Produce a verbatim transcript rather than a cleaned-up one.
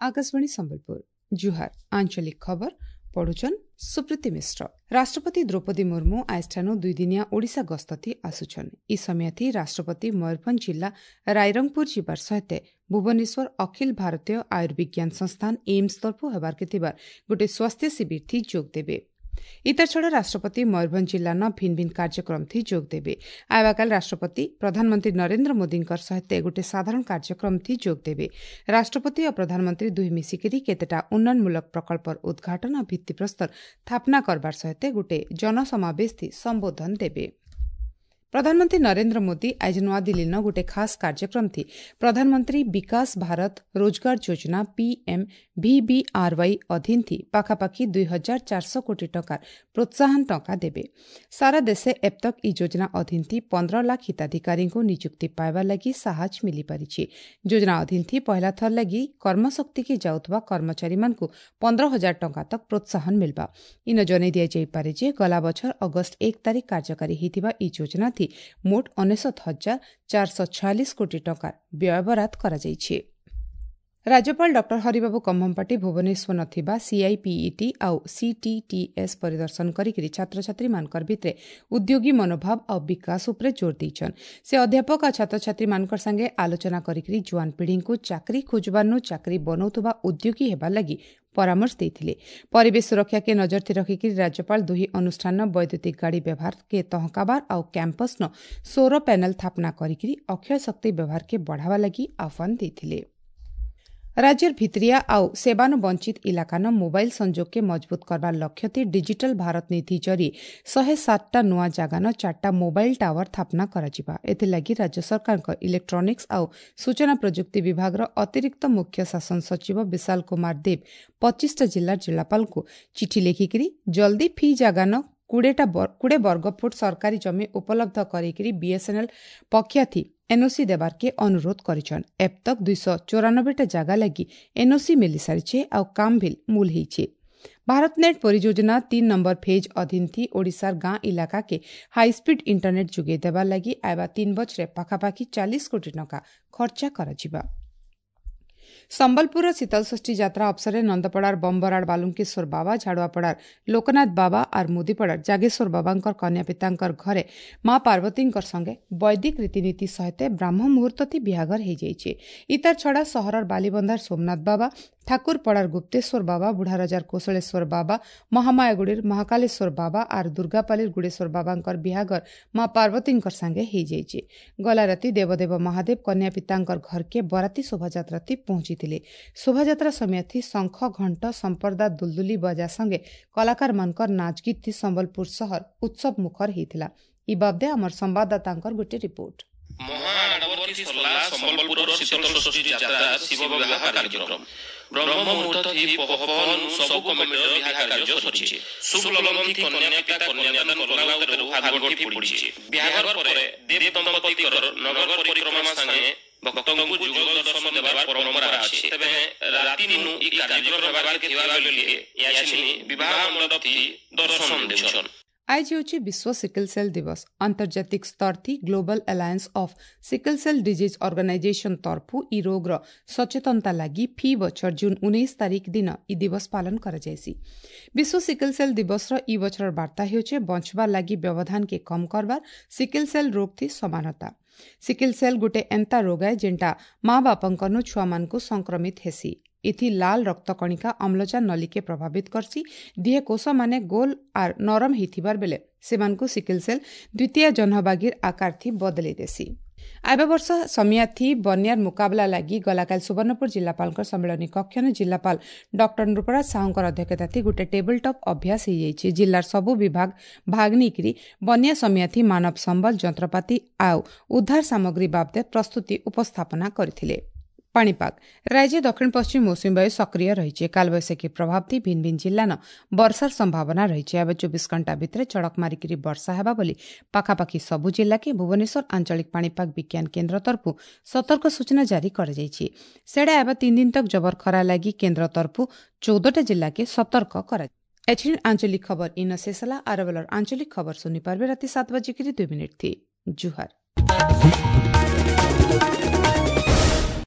Akashvani Sambalpur ଜୁହାର ଆଞ୍ଚଳିକ ଖବର ପଢୁଛନ୍ ସୁପ୍ରୀତି ମିଶ୍ର। ରାଷ୍ଟ୍ରପତି ଦ୍ରୌପଦୀ ମୁର୍ମୁ ଆଜିଠାନୁ ଦୁଇଦିନିଆ ଓଡ଼ିଶା ଗସ୍ତତି ଆସୁଛନ୍। ଇ ସମୟଥି ରାଷ୍ଟ୍ରପତି ମୟୂରଭଞ୍ଜ ଜିଲ୍ଲା ରାଇରଙ୍ଗପୁର ଯିବାର ସହିତ ଭୁବନେଶ୍ୱର ଅଖିଳ ଭାରତୀୟ ଆୟୁର୍ବିଜ୍ଞାନ ସଂସ୍ଥାନ ଏମ୍ସ ତରଫୁ ହେବାର୍କେ ଥିବାର ଗୋଟିଏ ସ୍ୱାସ୍ଥ୍ୟ ଶିବିରଥି ଯୋଗ ଦେବେ। ଇତାର ଛଡ଼ା ରାଷ୍ଟ୍ରପତି ମୟୂରଭଞ୍ଜ ଜିଲ୍ଲାନ ଭିନ୍ନ ଭିନ୍ନ କାର୍ଯ୍ୟକ୍ରମଥି ଯୋଗ ଦେବେ। ଆଇବାକାଲ ରାଷ୍ଟ୍ରପତି ପ୍ରଧାନମନ୍ତ୍ରୀ ନରେନ୍ଦ୍ର ମୋଦୀଙ୍କର ସହିତ ଗୋଟିଏ ସାଧାରଣ କାର୍ଯ୍ୟକ୍ରମଥି ଯୋଗ ଦେବେ। ରାଷ୍ଟ୍ରପତି ଓ ପ୍ରଧାନମନ୍ତ୍ରୀ ଦୁହିଁ ମିଶିକରି କେତେଟା ଉନ୍ନୟନମୂଳକ ପ୍ରକଳ୍ପର ଉଦ୍ଘାଟନ ଓ ଭିତ୍ତିପ୍ରସ୍ତର ସ୍ଥାପନା କରବାର ସହିତ ଗୋଟିଏ ଜନସମାବେଶଥି ସମ୍ବୋଧନ ଦେବେ। ପ୍ରଧାନମନ୍ତ୍ରୀ ନରେନ୍ଦ୍ର ମୋଦୀ ଆଜି ନୂଆଦିଲ୍ଲୀନ ଗୋଟିଏ ଖାସ୍ କାର୍ଯ୍ୟକ୍ରମଥି ପ୍ରଧାନମନ୍ତ୍ରୀ ବିକାଶ ଭାରତ ରୋଜଗାର ଯୋଜନା ପିଏମ୍ ଭିବିଆର୍ୱାଇ ଅଧୀନଥି ପାଖାପାଖି ଦୁଇ ହଜାର ଚାରିଶହ କୋଟି ଟଙ୍କାର ପ୍ରୋତ୍ସାହନ ଟଙ୍କା ଦେବେ। ସାରା ଦେଶେ ଏବତକ୍ ଇ ଯୋଜନା ଅଧୀନଥି ପନ୍ଦର ଲାଖ ହିତାଧିକାରୀଙ୍କୁ ନିଯୁକ୍ତି ପାଇବାର ଲାଗି ସାହାଯ୍ୟ ମିଳିପାରିଛି। ଯୋଜନା ଅଧୀନଥି ପହିଲା ଥର ଲାଗି କର୍ମଶକ୍ତିକି ଯାଉଥିବା କର୍ମଚାରୀମାନଙ୍କୁ ପନ୍ଦର ହଜାର ଟଙ୍କା ତକ୍ ପ୍ରୋତ୍ସାହନ ମିଲବା। ଇନ ଜଣାଇ ଦିଆଯାଇପାରେ ଯେ ଗଲା ବଛର ଅଗଷ୍ଟ ଏକ ତାରିଖ କାର୍ଯ୍ୟକାରୀ ହୋଇଥିବା ଇ ଯୋଜନାଥି ମୋଟ ଅନେଶତ ହଜାର ଚାରିଶହ ଛୟାଳିଶ କୋଟି ଟଙ୍କାର ବ୍ୟୟବରାଦ କରାଯାଇଛି। ରାଜ୍ୟପାଳ ଡକ୍ଟର ହରିବାବୁ କମ୍ଭମପାଟି ଭୁବନେଶ୍ୱର ଥିବା ସିଆଇପିଇଟି ଆଉ ସିଟିଟିଏସ୍ ପରିଦର୍ଶନ କରିକି ଛାତ୍ରଛାତ୍ରୀମାନଙ୍କର ଭିତରେ ଉଦ୍ୟୋଗୀ ମନୋଭାବ ଆଉ ବିକାଶ ଉପରେ ଜୋର ଦେଇଛନ୍। ସେ ଅଧ୍ୟାପକ ଆଉ ଛାତ୍ରଛାତ୍ରୀମାନଙ୍କର ସାଙ୍ଗେ ଆଲୋଚନା କରିକି ଜୁଆନ ପିଢ଼ିଙ୍କୁ ଚାକିରି ଖୋଜବାର୍ନୁ ଚାକିରି ବନଉଥିବା ଉଦ୍ୟୋଗୀ ହେବାର ଲାଗି ପରାମର୍ଶ ଦେଇଥିଲେ। ପରିବେଶ ସୁରକ୍ଷାକେ ନଜରଥି ରଖିକି ରାଜ୍ୟପାଳ ଦୁହି ଅନୁଷ୍ଠାନ ବୈଦ୍ୟୁତିକ ଗାଡ଼ି ବ୍ୟବହାରକେ ତହକାବାର ଆଉ କ୍ୟାମ୍ପସ୍ନ ସୌର ପ୍ୟାନେଲ ସ୍ଥାପନା କରିକି ଅକ୍ଷୟ ଶକ୍ତି ବ୍ୟବହାରକେ ବଢ଼ାବା ଲାଗି ଆହ୍ୱାନ ଦେଇଥିଲେ। ରାଜ୍ୟର ଭିତରିଆ ଆଉ ସେବାନୁ ବଞ୍ଚିତ ଇଲାକାନ ମୋବାଇଲ ସଂଯୋଗକେ ମଜବୁତ କରବାର ଲକ୍ଷ୍ୟଥି ଡିଜିଟାଲ ଭାରତ ନୀତି ଜରି ଶହେ ସାତଟା ନୂଆ ଜାଗାନ ଚାରିଟା ମୋବାଇଲ ଟାୱାର ସ୍ଥାପନା କରାଯିବା। ଏଥିଲାଗି ରାଜ୍ୟ ସରକାରଙ୍କ ଇଲେକ୍ଟ୍ରୋନିକ୍ସ ଆଉ ସୂଚନା ପ୍ରଯୁକ୍ତି ବିଭାଗର ଅତିରିକ୍ତ ମୁଖ୍ୟ ଶାସନ ସଚିବ ବିଶାଲ କୁମାର ଦେବ ପଚିଶଟା ଜିଲ୍ଲାର ଜିଲ୍ଲାପାଳଙ୍କୁ ଚିଠି ଲେଖିକିରି ଜଲ୍ଦି ଫି ଜାଗାନ କୋଡ଼ିଏଟା କୋଡ଼ିଏ ବର୍ଗ ଫୁଟ ସରକାରୀ ଜମି ଉପଲବ୍ଧ କରିକିରି ବିଏସ୍ଏନ୍ଏଲ୍ ପକ୍ଷାଥି ଏନ୍ଓସି ଦେବାର୍କେ ଅନୁରୋଧ କରିଛନ୍। ଏବ୍ ତକ୍ ଦୁଇଶହ ଚଉରାନବେଟା ଜାଗା ଲାଗି ଏନ୍ଓସି ମିଳିସାରିଛେ ଆଉ କାମ ଭିଲ୍ ମୂଲ ହେଇଛେ। ଭାରତନେଟ୍ ପରିଯୋଜନା ତିନ୍ ନମ୍ବର ଫେଜ୍ ଅଧୀନଥି ଓଡ଼ିଶାର ଗାଁ ଇଲାକାକେ ହାଇସ୍ପିଡ୍ ଇଣ୍ଟରନେଟ୍ ଯୋଗାଇ ଦେବାର ଲାଗି ଆଇବା ତିନ୍ ବଛରେ ପାଖାପାଖି ଚାଳିଶ କୋଟି ଟଙ୍କା ଖର୍ଚ୍ଚା କରାଯିବା। ସମ୍ବଲପୁରର ଶୀତଳଷଷ୍ଠୀ ଯାତ୍ରା ଅବସରରେ ନନ୍ଦପଡ଼ାର ବମ୍ବରାଡ଼ ବାଲୁଙ୍କେଶ୍ୱର ବାବା, ଝାଡ଼ୁଆପଡ଼ାର ଲୋକନାଥ ବାବା ଆର୍ ମୁଦିପଡ଼ାର ଜାଗେଶ୍ୱର ବାବାଙ୍କର କନ୍ୟାପିତାଙ୍କର ଘରେ ମା ପାର୍ବତୀଙ୍କର ସଙ୍ଗେ ବୈଦିକ ରୀତିନୀତି ସହିତ ବ୍ରାହ୍ମ ମୁହୂର୍ତ୍ତଥି ବିହାଘର ହେଇଯାଇଛି। ଇତାର ଛଡ଼ା ସହରର ବାଲିବନ୍ଧାର ସୋମନାଥ ବାବା, ଠାକୁରପଡ଼ାର ଗୁପ୍ତେଶ୍ୱର ବାବା, ବୁଢ଼ାରଜାର କୋଶଳେଶ୍ୱର ବାବା, ମହାମାୟାଗୁଡ଼ିର ମହାକାଳେଶ୍ୱର ବାବା ଆର୍ ଦୁର୍ଗାପାଲିର ଗୁଡ଼େଶ୍ୱର ବାବାଙ୍କର ବିହାଘର ମା ପାର୍ବତୀଙ୍କର ସାଙ୍ଗେ ହେଇଯାଇଛି। ଗଲା ରାତି ଦେବଦେବ ମହାଦେବ କନ୍ୟାପିତାଙ୍କର ଘରକେ ବରାତି ଶୋଭାଯାତ୍ରାଥି ପହଞ୍ଚିଥିଲେ। ଶୋଭାଯାତ୍ରା ସମୟଥି ଶଙ୍ଖ, ଘଣ୍ଟ, ସମ୍ପର୍ଦା, ଦୁଲଦୁଲି ବଜା ସଙ୍ଗେ କଳାକାରମାନଙ୍କର ନାଚଗୀତଥି ସମ୍ବଲପୁର ସହର ଉତ୍ସବ ମୁଖର ହେଇଥିଲା। ଇ ବାବଦେ ଆମର ସମ୍ବାଦଦାତାଙ୍କର ଗୋଟିଏ ରିପୋର୍ଟ। ସମ୍ବଲପୁରର ଶୀତଳଷଷ୍ଠୀ ଯାତ୍ରା ଶିବ ବିବାହ କାର୍ଯ୍ୟକ୍ରମ ବ୍ରହ୍ମ ମୁହୂର୍ତ୍ତ ଥି ପହନ ସବୁ କମିଟିର ବିବାହ କାର୍ଯ୍ୟ ସରିଛି। ଶୁଭ ଲଗନ ଥି କନ୍ୟା ପିତା କନ୍ୟାଦାନ କଲା ଉତାରୁ ହାତଗଣ୍ଠି ପଡ଼ିଛି। ବିବାହ ପରେ ଦେବ ଦମ୍ପତିଙ୍କର ନଗର ପରିକ୍ରମା ସାଙ୍ଗେ ଭକ୍ତଙ୍କୁ ଯୁଗ ଦର୍ଶନ ଦେବାର ପରମ୍ପରା ଅଛି। ତେବେ ରାତି ନୁ ଇ କାର୍ଯ୍ୟକ୍ରମ ହେବାକେ ଥିବା ବେଲେ ୟାଛିନି ବିବାହ ମଣ୍ଡପ ଥି ଦର୍ଶନ ଦେଉଛନ୍। ଆଜି ହେଉଛି ବିଶ୍ୱ ସିକଲ ସେଲ୍ ଦିବସ। ଆନ୍ତର୍ଜାତିକ ସ୍ତରଥି global alliance of sickle cell disease organisation ତରଫୁ ଇ ରୋଗର ସଚେତନତା ଲାଗି ଫି ବଛର ଜୁନ୍ ଉଣେଇଶ ତାରିଖ ଦିନ ଇ ଦିବସ ପାଳନ କରାଯାଇସି। ବିଶ୍ୱ ସିକଲ ସେଲ୍ ଦିବସର ଇ ବଛରର ବାର୍ତ୍ତା ହେଉଛି ବଞ୍ଚବାର ଲାଗି ବ୍ୟବଧାନକେ କମ୍ କରବାର ସିକଲ ସେଲ୍ ରୋଗଥି ସମାନତା। ସିକଲ ସେଲ୍ ଗୋଟେ ଏନ୍ତା ରୋଗ ଏ ଯେନ୍ଟା ମା ବାପାଙ୍କନୁ ଛୁଆମାନଙ୍କୁ ସଂକ୍ରମିତ ହେସି। ଏଥି ଲାଲ ରକ୍ତକଣିକା ଅମ୍ଳଜାନ ନଲିକେ ପ୍ରଭାବିତ କରସି। ଦିହେ କୋଷମାନେ ଗୋଲ ଆର୍ ନରମ ହେଇଥିବାର ବେଲେ ସେମାନଙ୍କୁ ସିକଲ ସେଲ୍ ଦ୍ୱିତୀୟ ଜହ୍ନବାଗିର ଆକାରଥି ବଦଲେଇ ଦେସି। ଆଇବା ବର୍ଷ ସମିଆଥି ବନ୍ୟାର ମୁକାବିଲା ଲାଗି ଗଲାକାଲି ସୁବର୍ଣ୍ଣପୁର ଜିଲ୍ଲାପାଳଙ୍କ ସମ୍ମିଳନୀ କକ୍ଷରେ ଜିଲ୍ଲାପାଳ ଡକ୍ଟର ନୃପରାଜ ସାହୁଙ୍କର ଅଧ୍ୟକ୍ଷତାଥି ଗୋଟେ ଟେବୁଲ ଟପ୍ ଅଭ୍ୟାସ ହେଇଯାଇଛି। ଜିଲ୍ଲାର ସବୁ ବିଭାଗ ଭାଗ ନେଇକରି ବନ୍ୟା ସମିଆଥି ମାନବ ସମ୍ବଳ, ଯନ୍ତ୍ରପାତି ଆଉ ଉଦ୍ଧାର ସାମଗ୍ରୀ ବାବଦେ ପ୍ରସ୍ତୁତି ଉପସ୍ଥାପନା କରିଥିଲେ। ପାଣିପାଗ ରାଜ୍ୟ ଦକ୍ଷିଣ ପଶ୍ଚିମ ମୌସୁମୀ ବାୟୁ ସକ୍ରିୟ ରହିଛି। କାଳବୈଶାଖୀ ପ୍ରଭାବ ଭିନ୍ନ ଭିନ୍ନ ଜିଲ୍ଲାନ ବର୍ଷାର ସମ୍ଭାବନା ରହିଛି। ଏବେ ଚବିଶ ଘଣ୍ଟା ଭିତରେ ଚଡ଼କ ମାରିକିରି ବର୍ଷା ହେବା ବୋଲି ପାଖାପାଖି ସବୁ ଜିଲ୍ଲାକେ ଭୁବନେଶ୍ୱର ଆଞ୍ଚଳିକ ପାଣିପାଗ ବିଜ୍ଞାନ କେନ୍ଦ୍ର ତରଫରୁ ସତର୍କ ସୂଚନା ଜାରି କରାଯାଇଛି। ସେଡ଼ା ଏବେ ତିନି ଦିନ ତକ ଜବର ଖରା ଲାଗି କେନ୍ଦ୍ର ତରଫରୁ ଚଉଦଟା ଜିଲ୍ଲାକେ ସତର୍କ କରାଯାଇଛି। ଏଛିନ୍ ଆଞ୍ଚଳିକ ଖବର ଇନ ଶେଷ ହେଲା। ଆର ବେଲର ଆଞ୍ଚଳିକ ଖବର ଶୁନି ପାରବେ ରାତି ସାତ ବାଜିକିରି ଦୁଇ ମିନିଟ୍ ଥି। ଜୁହାର।